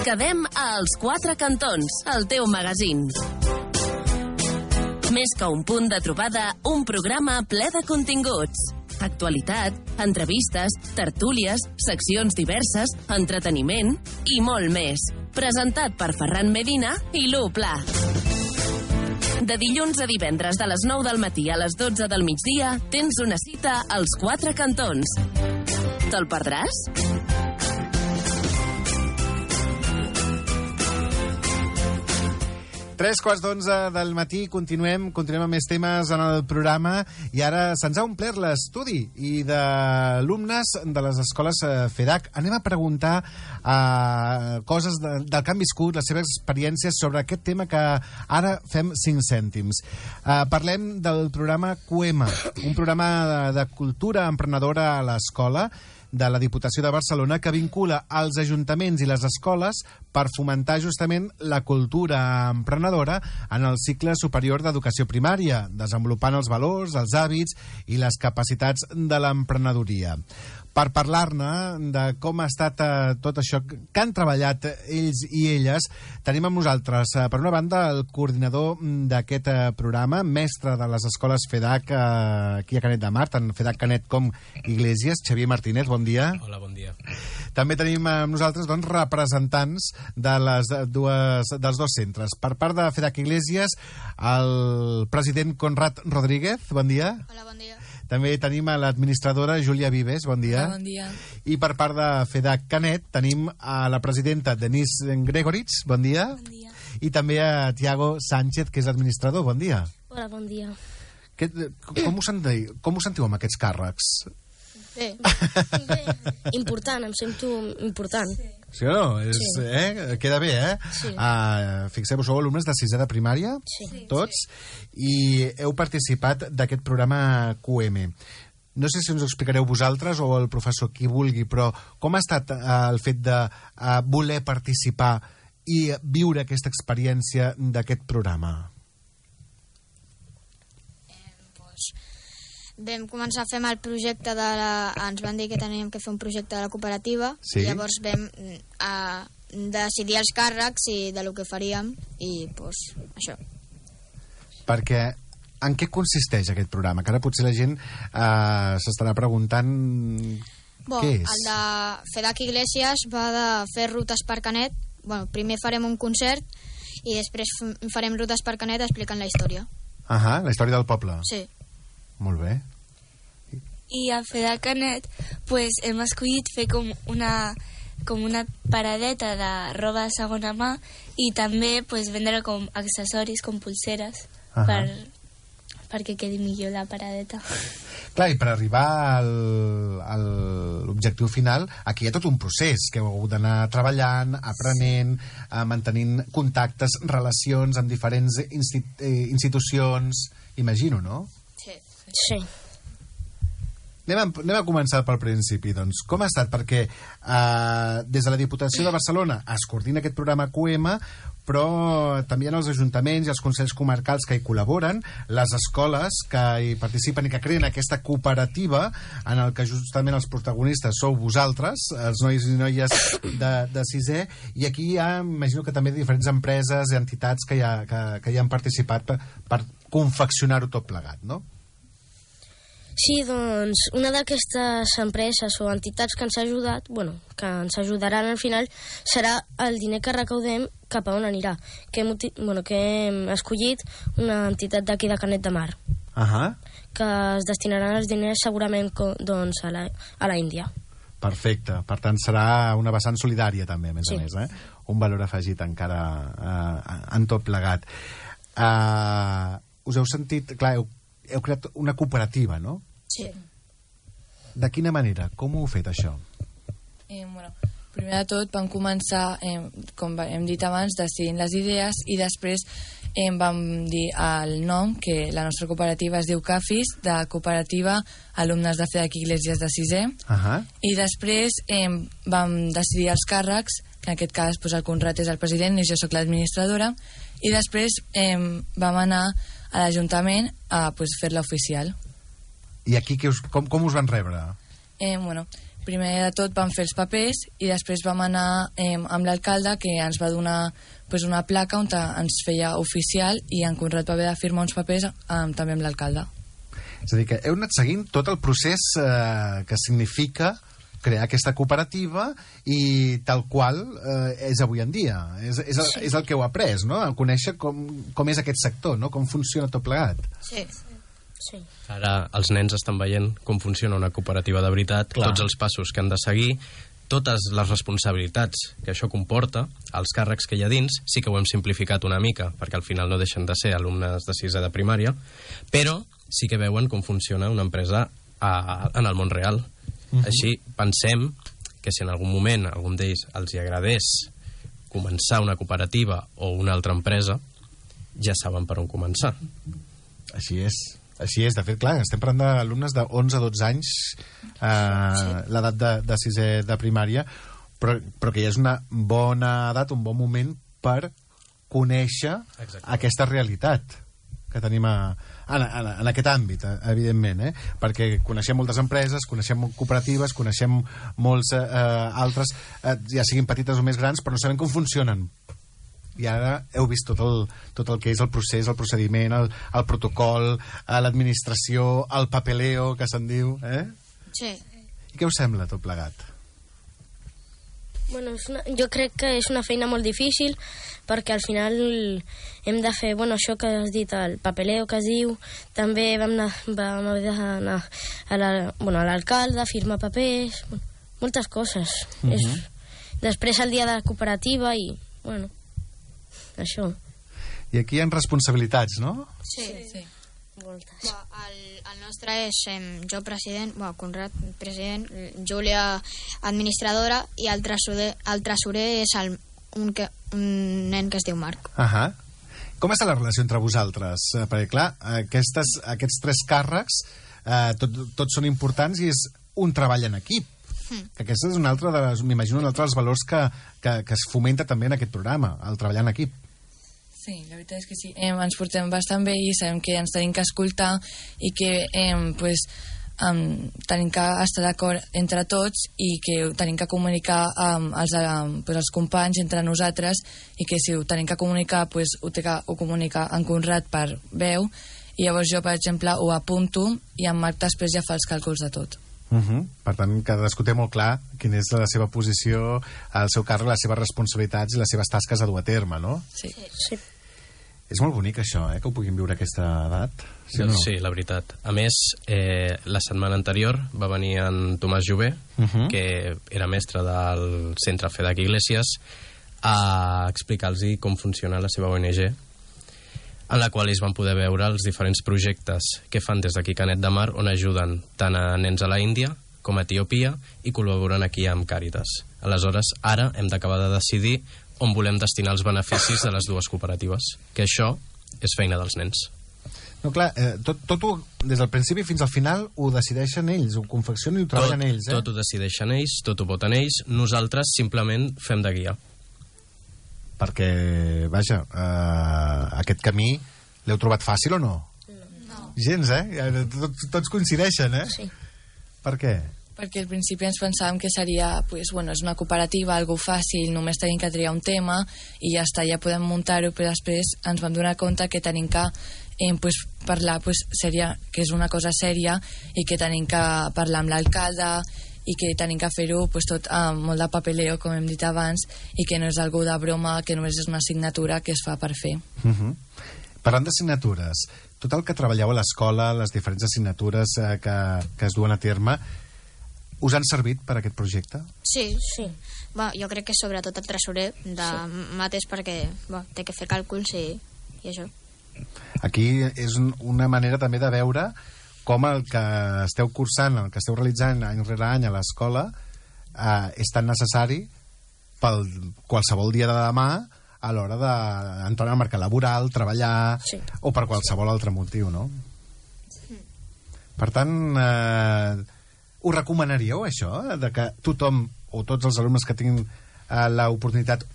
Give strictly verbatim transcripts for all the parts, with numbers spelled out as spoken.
Quedem als Quatre Cantons, el teu magazín. Més que un punt de trobada, un programa ple de continguts. Actualitat, entrevistes, tertúlies, seccions diverses, entreteniment i molt més. Presentat per Ferran Medina i Lu Pla. De dilluns a divendres de les nou del matí a les dotze del migdia tens una cita als Quatre Cantons. Te'l perdràs? Tres quarts d'onze del matí, continuem, continuem amb més temes en el programa i ara se'ns ha omplert l'estudi i d'alumnes de les escoles FEDAC. Anem a preguntar uh, coses de, del que han viscut, les seves experiències sobre aquest tema que ara fem cinc cèntims. Uh, parlem del programa CUEMA, un programa de, de cultura emprenedora a l'escola de la Diputació de Barcelona que vincula els ajuntaments i les escoles per fomentar justament la cultura emprenedora en el cicle superior d'educació primària, desenvolupant els valors, els hàbits i les capacitats de l'emprenedoria. Per parlar-ne de com ha estat eh, tot això que han treballat ells i elles, tenim amb nosaltres, eh, per una banda, el coordinador d'aquest eh, programa, mestre de les escoles FEDAC eh, aquí a Canet de Mar, tant FEDAC Canet com Iglesias, Xavier Martínez, bon dia. Hola, bon dia. També tenim amb nosaltres doncs, representants de les dues, dels dos centres. Per part de FEDAC Iglesias, el president Conrad Rodríguez, bon dia. Hola, bon dia. També tenim a l'administradora Júlia Vives, bon dia. Hola, bon dia. I per part de FEDAC Canet tenim a la presidenta Denise Gregoritz, bon dia. Bon dia. I també a Tiago Sánchez, que és l'administrador, bon dia. Hola, bon dia. Que, com, us sentiu, com us sentiu amb aquests càrrecs? Bé. Bé. Important, em sento important. Sí. Sí o no? És, Sí. eh? Queda bé, eh? Sí. Uh, Fixeu-vos, sou alumnes de sisè de primària, Sí. tots, i heu participat d'aquest programa CUEMA. No sé si ens ho explicareu vosaltres o el professor, qui vulgui, però com ha estat uh, el fet de uh, voler participar i viure aquesta experiència d'aquest programa? Vam començar a fer el projecte de la... Ens van dir que teníem que fer un projecte de la cooperativa. Sí. I llavors vam a, decidir els càrrecs i de lo que faríem i pues, això. Perquè en què consisteix aquest programa? Que ara potser la gent eh, s'estarà preguntant Bon, què és. El de FEDAC Iglesias va de fer rutes per Canet. Bueno, primer farem un concert i després farem rutes per Canet explicant la història. Ahà, la història del poble. Sí. Molt bé. I a FEDAC Canet pues, hem escollit fer com una, com una paradeta de roba de segona mà i també pues, vendre com accessoris, com pulseres, uh -huh. per, perquè quedi millor la paradeta. Clar, i per arribar al, a l'objectiu final, aquí hi ha tot un procés que heu hagut d'anar treballant, aprenent, eh, mantenint contactes, relacions amb diferents insti eh, institucions, imagino, no? Sí. Anem a, anem a començar pel principi, doncs. Com ha estat? Perquè eh, des de la Diputació de Barcelona es coordina aquest programa CUEMA, però també hi ha els ajuntaments i els consells comarcals que hi col·laboren, les escoles que hi participen i que creen aquesta cooperativa en el que justament els protagonistes sou vosaltres, els nois i noies de, de sisè, i aquí hi ha, imagino que també diferents empreses i entitats que hi, ha, que, que hi han participat per, per confeccionar-ho tot plegat, no? Sí, doncs, una d'aquestes empreses o entitats que ens ha ajudat, bueno, que ens ajudaran al final, serà el diner que recaudem cap a on anirà. Que hem, bueno, que hem escollit una entitat d'aquí de Canet de Mar, uh-huh. que es destinaran els diners segurament doncs, a, la, a la Índia. Perfecte. Per tant, serà una vessant solidària també, a més sí. a més, eh? Un valor afegit encara eh, en tot plegat. Uh, us heu sentit... Clar, heu, heu creat una cooperativa, no? Sí. De quina manera? Com ho heu fet, això? Eh, bueno, primer de tot vam començar, eh, com hem dit abans, decidint les idees i després eh, vam dir el nom, que la nostra cooperativa es diu CAFIS, de Cooperativa Alumnes de FEDAC Iglesias de sisè, uh-huh. i després eh, vam decidir els càrrecs, que en aquest cas pues, el Conrad és el president i jo sóc l'administradora, i després eh, vam anar a l'Ajuntament a pues, fer-la oficial. I aquí que us, com, com us van rebre? Eh, bueno, primer de tot vam fer els papers i després vam anar eh, amb l'alcalde, que ens va donar pues, una placa on ens feia oficial, i en Conrad va haver de firmar uns papers eh, també amb l'alcalde. És a dir, que heu anat seguint tot el procés eh, que significa crear aquesta cooperativa i tal qual eh, és avui en dia. És, és, el, és el que heu après, no? A conèixer com, com és aquest sector, no? Com funciona tot plegat. Sí. Sí. Ara els nens estan veient com funciona una cooperativa de veritat, Clar. tots els passos que han de seguir, totes les responsabilitats que això comporta, els càrrecs que hi ha dins, sí que ho hem simplificat una mica, perquè al final no deixen de ser alumnes de sisè de primària, però sí que veuen com funciona una empresa a, en el món real. Uh-huh. Així pensem que si en algun moment a algun d'ells els hi agradés començar una cooperativa o una altra empresa, ja saben per on començar. Així és. Així és, de fet, clar, estem parlant d'alumnes de onze a dotze anys, eh, sí. l'edat de, de sisè de primària, però, però que ja és una bona edat, un bon moment per conèixer Exacte. aquesta realitat que tenim a, en, en, en aquest àmbit, evidentment, eh? Perquè coneixem moltes empreses, coneixem cooperatives, coneixem molts eh, altres, eh, ja siguin petites o més grans, però no sabem com funcionen. I ara heu vist tot el, tot el que és el procés, el procediment, el, el protocol, l'administració, el papeleo, que se'n diu, eh? Sí. I què us sembla tot plegat? Bueno, és una, jo crec que és una feina molt difícil, perquè al final hem de fer, bueno, això que has dit, el papeleo que es diu, també vam anar, vam haver d'anar a la, bueno, a l'alcalde a firmar papers, bueno, moltes coses. Uh-huh. És, després el dia de la cooperativa i, bueno, això. I aquí hi ha responsabilitats, no? Sí. Sí. Moltes. Bueno, el, el nostre és eh, jo president, bueno, Conrad president, Júlia administradora i el tresorer, el tresorer és el, un, que, un nen que es diu Marc. Ahà. Com està la relació entre vosaltres? Eh, perquè, clar, aquestes, aquests tres càrrecs eh, tot, tots són importants i és un treball en equip. Mm. Que aquest és un altre, de les, m'imagino, un altre dels valors que, que, que es fomenta també en aquest programa, el treballar en equip. Sí, la veritat és que sí. Eh, ens portem bastant bé i sabem que ens tenim que escoltar i que eh, pues, um, tenim que estar d'acord entre tots i que tenim que comunicar um, els, um, pues, els companys entre nosaltres, i que si ho tenim que comunicar, pues, ho té que ho comunicar en Conrad per veu, i llavors jo, per exemple, ho apunto i en Marc després ja fa els càlculs de tot. Uh-huh. Per tant, cadascú té molt clar quina és la seva posició, el seu càrrec, les seves responsabilitats i les seves tasques a dur a terme, no? Sí. Sí. És molt bonic això, eh, que ho puguin viure a aquesta edat. Sí, doncs no? sí, la veritat. A més, eh, la setmana anterior va venir en Tomàs Jové, uh-huh. que era mestre del centre FEDAC Iglesias, a explicar-los com funciona la seva O N G, en la qual ells van poder veure els diferents projectes que fan des d'aquí Canet de Mar, on ajuden tant a nens a la Índia com a Etiòpia i col·laboren aquí amb Càritas. Aleshores, ara hem d'acabar de decidir on volem destinar els beneficis de les dues cooperatives, que això és feina dels nens. No, clar, eh, tot, tot ho, des del principi fins al final ho decideixen ells, ho confeccionen i ho treballen tot, ells, eh? Tot ho decideixen ells, tot ho voten ells, nosaltres simplement fem de guia. Perquè, vaja, eh, aquest camí l'heu trobat fàcil o no? No. Gens, eh? Tots, tots coincideixen, eh? Sí. Per què? Perquè al principi ens pensàvem que seria, pues, bueno, és una cooperativa, algo fàcil, només tenim que triar un tema i ja està, ja podem muntar-ho, però després ens vam donar compte que tenim que eh, pues, parlar, pues, seria, que és una cosa sèria i que tenim que parlar amb l'alcalde i que tenim que fer-ho pues, tot amb molt de papeleo, com hem dit abans, i que no és algú de broma, que només és una assignatura que es fa per fer. Uh-huh. Parlant d'assignatures, tot el que treballeu a l'escola, les diferents assignatures eh, que, que es duen a terme, us han servit per a aquest projecte? Sí. Sí. Bueno, jo crec que sobretot el tresorer de sí. mates, perquè bueno, té que fer càlculs i, i això. Aquí és un, una manera també de veure com el que esteu cursant, el que esteu realitzant any rere any a l'escola eh, és tan necessari pel qualsevol dia de demà a l'hora d'entrar al mercat laboral, treballar, sí. o per qualsevol altre motiu, no? Sí. Per tant, eh, ho recomanaríeu, això, de que tothom, o tots els alumnes que tinguin eh, l'oportunitat,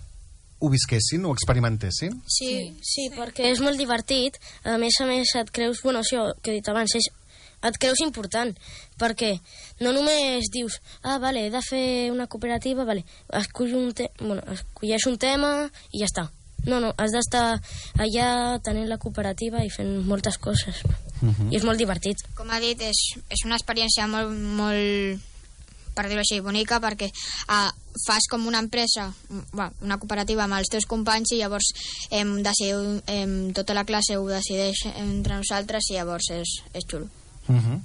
ho visquessin, ho experimentessin? Sí, sí, perquè és molt divertit. A més a més, et creus... Bueno, això que he dit abans, és et creus important, perquè no només dius, ah, vale, he de fer una cooperativa, vale, escull un te bueno, escolleix un tema i ja està. No, no, has d'estar allà tenint la cooperativa i fent moltes coses. Uh-huh. I és molt divertit. Com ha dit, és, és una experiència molt, molt, per dir-ho així, bonica, perquè uh, fas com una empresa, bueno, una cooperativa amb els teus companys i llavors hem decidiu, hem, tota la classe ho decideix entre nosaltres i llavors és, és xulo. Uh-huh.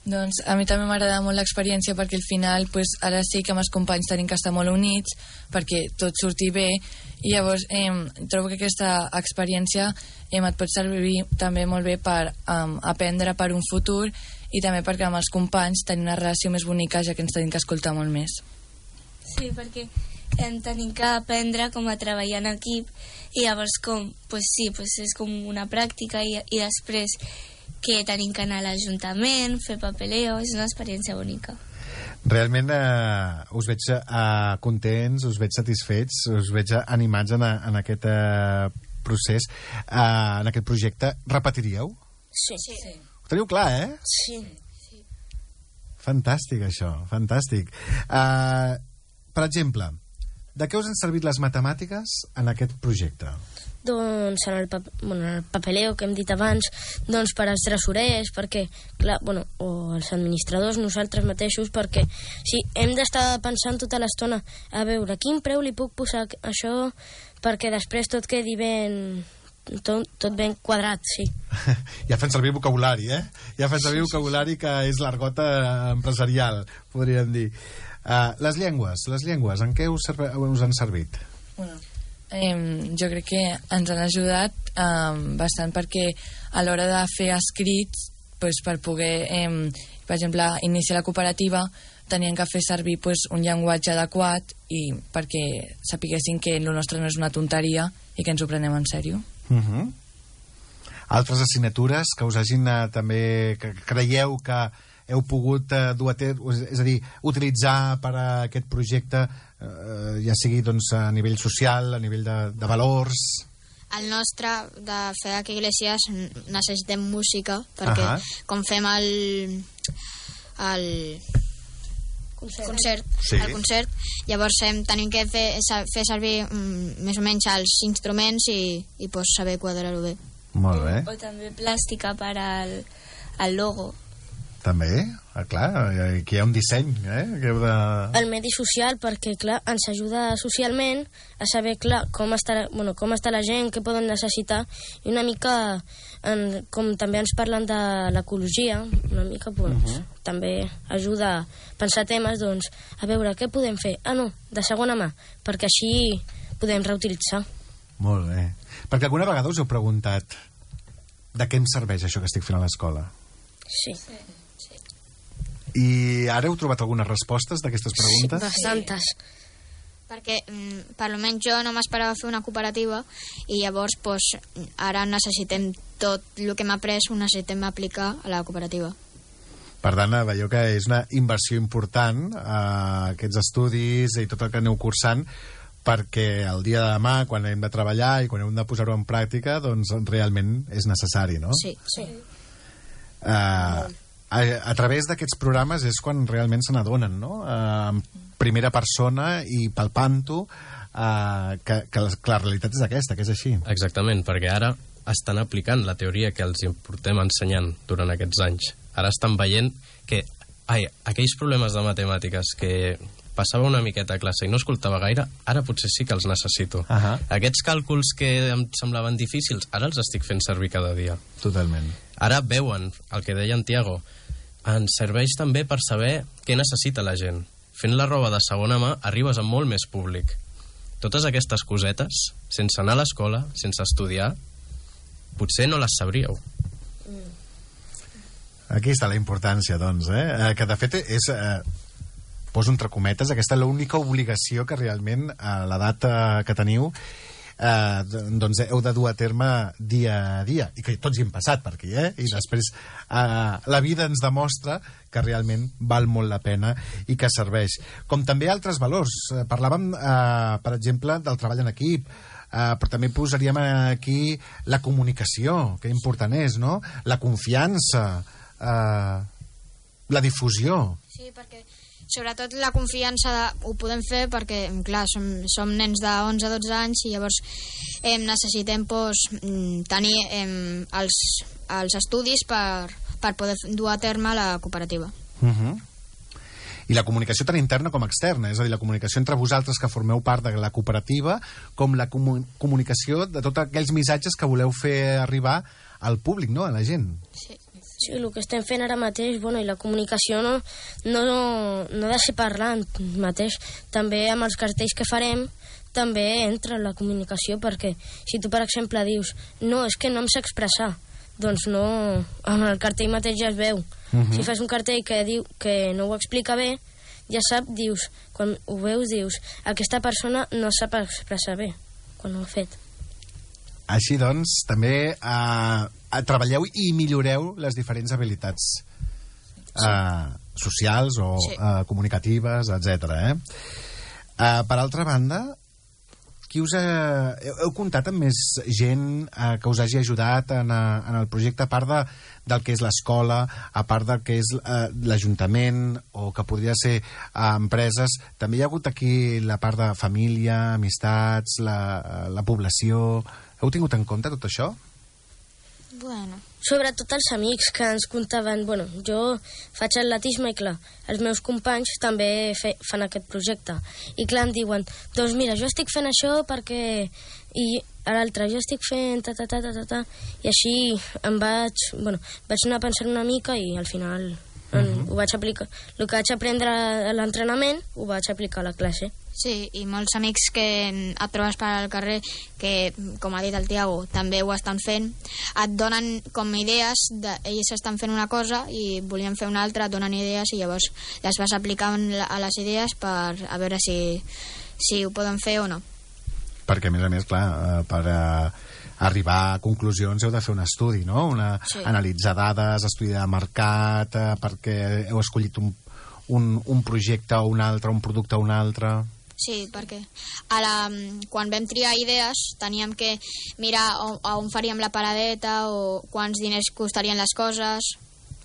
Doncs a mi també m'agrada molt l'experiència perquè al final pues, ara sí que amb els companys tenim que estar molt units perquè tot surti bé i llavors eh, trobo que aquesta experiència eh, et pot servir també molt bé per eh, aprendre per un futur i també perquè amb els companys tenim una relació més bonica ja que ens tenim que escoltar molt més. Sí, perquè em tenim que aprendre com a treballar en equip i llavors com, pues sí, pues és com una pràctica i, i després que tenim que anar a l'Ajuntament, fer papeleo, és una experiència bonica. Realment eh, us veig eh, contents, us veig satisfets, us veig animats en, a, en aquest eh, procés, eh, en aquest projecte. Repetiríeu? Sí. sí. Ho teniu clar, eh? Sí. sí. Fantàstic, això, fantàstic. Eh, per exemple, de què us han servit les matemàtiques en aquest projecte? Doncs en el, pap bueno, en el papeleo que hem dit abans, doncs per als tresorers, perquè, clar, bueno, o els administradors, nosaltres mateixos, perquè sí, hem d'estar pensant tota l'estona a veure quin preu li puc posar això perquè després tot quedi ben... Tot, tot ben quadrat, sí. Ja fan servir vocabulari, eh? Ja fan servir vocabulari que és l'argot empresarial, podríem dir. Uh, les llengües, les llengües, en què us, us han servit? Bueno, eh, jo crec que ens han ajudat eh, bastant perquè a l'hora de fer escrits, pues, per poder, eh, per exemple, iniciar la cooperativa, tenien que fer servir pues, un llenguatge adequat i perquè sapiguessin que el nostre no és una tonteria i que ens ho prenem en sèrio. Uh-huh. Altres assignatures que us hagin eh, també, que creieu que heu pogut eh, dur a terme, és a dir, utilitzar per a aquest projecte, eh, ja sigui doncs, a nivell social, a nivell de, de valors? El nostre, de FEDAC Iglesias, necessitem música, perquè uh-huh. com fem el... el concert, concert sí. el concert, llavors hem, tenim que fer, fer servir mm, més o menys els instruments i, i pues, saber quadrar-ho bé. Molt bé. O, o també plàstica per al, al logo. També, ah, clar, aquí hi ha un disseny, eh? Que heu de... El medi social, perquè, clar, ens ajuda socialment a saber, clar, com està, bueno, com està la gent, què poden necessitar, i una mica, en, com també ens parlen de l'ecologia, una mica, doncs, uh -huh. també ajuda a pensar temes, doncs, a veure, què podem fer? Ah, no, de segona mà, perquè així podem reutilitzar. Molt bé. Perquè alguna vegada us heu preguntat de què em serveix això que estic fent a l'escola? Sí. Sí. I ara heu trobat algunes respostes d'aquestes preguntes? Sí, bastantes. Perquè, mm, per almenys jo no m'esperava fer una cooperativa i llavors pues, ara necessitem tot el que hem après, ho necessitem aplicar a la cooperativa. Per tant, veieu que és una inversió important eh, aquests estudis i tot el que aneu cursant, perquè el dia de demà, quan hem de treballar i quan hem de posar-ho en pràctica, doncs realment és necessari, no? Sí, sí. Uh, a, a través d'aquests programes és quan realment se n'adonen, no? Uh, en primera persona i palpant-ho uh, que, que, la, que la realitat és aquesta, que és així. Exactament, perquè ara estan aplicant la teoria que els portem ensenyant durant aquests anys. Ara estan veient que ai, aquells problemes de matemàtiques que passava una miqueta a classe i no escoltava gaire, ara potser sí que els necessito. Uh-huh. Aquests càlculs que em semblaven difícils, ara els estic fent servir cada dia. Totalment. Ara veuen el que deia en Tiago, ens serveix també per saber què necessita la gent. Fent la roba de segona mà arribes a molt més públic. Totes aquestes cosetes, sense anar a l'escola, sense estudiar, potser no les sabríeu. Aquí està la importància, doncs, eh? Que de fet és... Eh, poso entre cometes, aquesta és l'única obligació que realment a l'edat eh, que teniu eh, doncs heu de dur a terme dia a dia, i que tots hi hem passat per aquí, eh? I després eh, la vida ens demostra que realment val molt la pena i que serveix. Com també altres valors. Eh, parlàvem, eh, per exemple, del treball en equip, eh, però també posaríem aquí la comunicació, que important és, no? La confiança, eh, la difusió. Sí, perquè sobretot la confiança de, ho podem fer perquè, clar, som, som nens de onze a dotze anys i llavors eh, necessitem pues, tenir eh, els, els estudis per, per poder dur a terme la cooperativa. Uh-huh. I la comunicació tant interna com externa, és a dir, la comunicació entre vosaltres que formeu part de la cooperativa, com la comu comunicació de tots aquells missatges que voleu fer arribar al públic, no?, a la gent. Sí. Sí, el que estem fent ara mateix, bueno, i la comunicació no, no, no ha de ser parlant mateix. També amb els cartells que farem també entra la comunicació, perquè si tu, per exemple, dius no, és que no em sé expressar, doncs no, en el cartell mateix ja es veu. Uh-huh. Si fas un cartell que diu que no ho explica bé, ja sap, dius, quan ho veus, dius, aquesta persona no sap expressar bé quan ho ha fet. Així doncs, també eh, treballeu i milloreu les diferents habilitats eh, socials o sí. eh, comunicatives, etcètera. Eh? Eh, per altra banda, qui us ha, heu, heu comptat amb més gent eh, que us hagi ajudat en, a, en el projecte, a part de, del que és l'escola, a part del que és eh, l'Ajuntament o que podria ser eh, empreses? També hi ha hagut aquí la part de família, amistats, la, la població. Heu tingut en compte tot això? Bueno. Sobretot els amics que ens contaven, bueno, jo faig atletisme i clar, els meus companys també fe, fan aquest projecte. I clar, em diuen, doncs mira, jo estic fent això perquè... I a l'altre, jo estic fent ta ta ta ta ta ta. I així em vaig, bueno, vaig anar pensant una mica i al final uh-huh. en, ho vaig aplicar. El que vaig aprendre a l'entrenament ho vaig aplicar a la classe. Sí, i molts amics que et trobes per al carrer que, com ha dit el Tiago, també ho estan fent, et donen com idees, de, ells estan fent una cosa i volien fer una altra, et donen idees i llavors les vas aplicant a les idees per a veure si, si ho poden fer o no. Perquè, a més a més, clar, per uh, arribar a conclusions heu de fer un estudi, no? Una, sí. Analitzar dades, estudi de mercat, uh, perquè heu escollit un, un, un projecte o un altre, un producte o un altre... Sí, perquè a la, quan vam triar idees teníem que mirar on, on faríem la paradeta o quants diners costarien les coses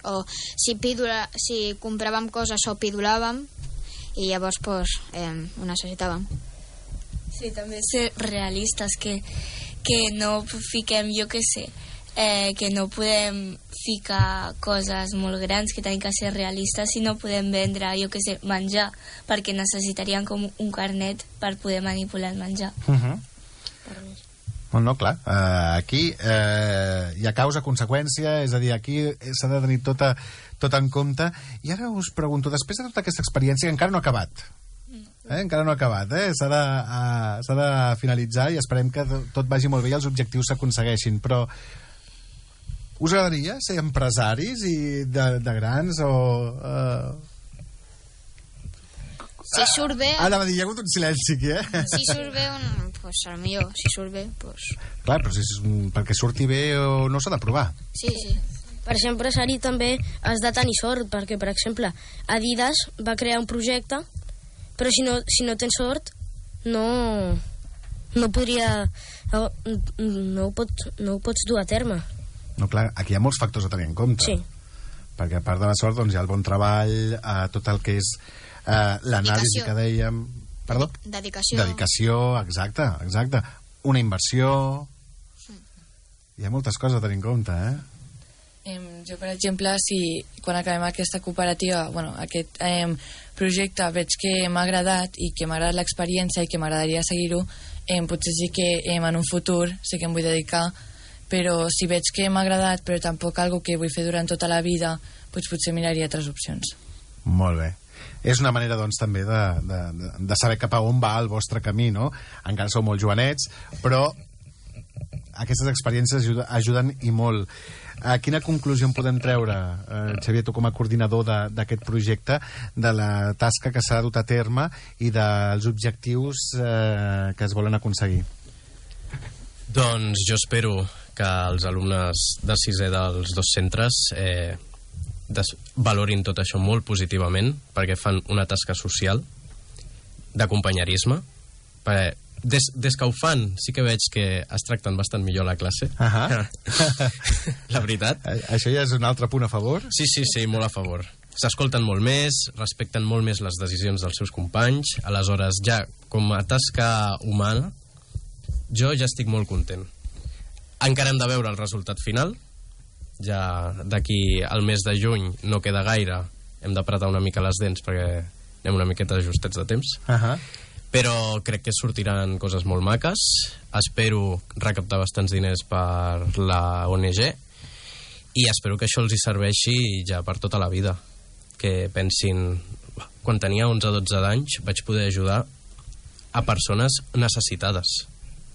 o si, pidula, si compràvem coses o pidolàvem i llavors pues, eh, ho necessitàvem. Sí, també ser realistes, que, que no fiquem, jo què sé, eh, que no podem ficar coses molt grans, que tenim que ser realistes i no podem vendre, jo què sé, menjar, perquè necessitaríem com un carnet per poder manipular el menjar. Uh-huh. Bueno, no, clar, uh, aquí uh, hi ha causa-conseqüència, és a dir, aquí s'ha de tenir tot, a, tot en compte. I ara us pregunto, després de tota aquesta experiència, que encara no ha acabat, eh? encara no ha acabat, eh? s'ha de, uh, s'ha de finalitzar i esperem que tot vagi molt bé i els objectius s'aconsegueixin, però us agradaria ser empresaris i de, de grans o... Uh... Si surt bé... Ah, anava a dir, hi ha hagut un silenci aquí, eh? Si surt bé, un, pues, el millor. Si surt bé, pues... Clar, però si, perquè surti bé o no s'ha de provar. Sí, sí. Per ser empresari també has de tenir sort, perquè, per exemple, Adidas va crear un projecte, però si no, si no tens sort, no, no podria... No, no, ho pots, no ho pots dur a terme. No, clar, aquí hi ha molts factors a tenir en compte. Sí. Perquè a part de la sort, doncs, hi ha el bon treball, eh, tot el que és eh, l'anàlisi que dèiem... Perdó? Dedicació. Dedicació, exacte, exacte. Una inversió... Hi ha moltes coses a tenir en compte, eh? Eh, jo, per exemple, si quan acabem aquesta cooperativa, bueno, aquest eh, projecte veig que m'ha agradat i que m'ha agradat l'experiència i que m'agradaria seguir-ho, eh, potser sí que eh, en un futur sí que em vull dedicar, però si veig que m'ha agradat però tampoc algo que vull fer durant tota la vida, doncs potser miraria altres opcions. Molt bé. És una manera, doncs, també de, de, de saber cap a on va el vostre camí, no? Encara sou molt jovenets, però aquestes experiències ajuden, ajuden i molt. A quina conclusió en podem treure, eh, Xavier, tu com a coordinador d'aquest projecte, de la tasca que s'ha dut a terme i dels objectius eh, que es volen aconseguir? Doncs jo espero que els alumnes de sisè dels dos centres eh, des, valorin tot això molt positivament, perquè fan una tasca social, d'acompanyisme, perquè des, des que ho fan, sí que veig que es tracten bastant millor a la classe. Ahà. La veritat. Això ja és un altre punt a favor? Sí, sí, sí, molt a favor. S'escolten molt més, respecten molt més les decisions dels seus companys, aleshores ja, com a tasca humana, jo ja estic molt content. Encara hem de veure el resultat final, ja d'aquí al mes de juny no queda gaire, hem d'apretar una mica les dents perquè anem una miqueta justets de temps. Ahà. Però crec que sortiran coses molt maques. Espero recaptar bastants diners per la O N G i espero que això els hi serveixi ja per tota la vida. Que pensin, quan tenia onze o dotze d'anys vaig poder ajudar a persones necessitades.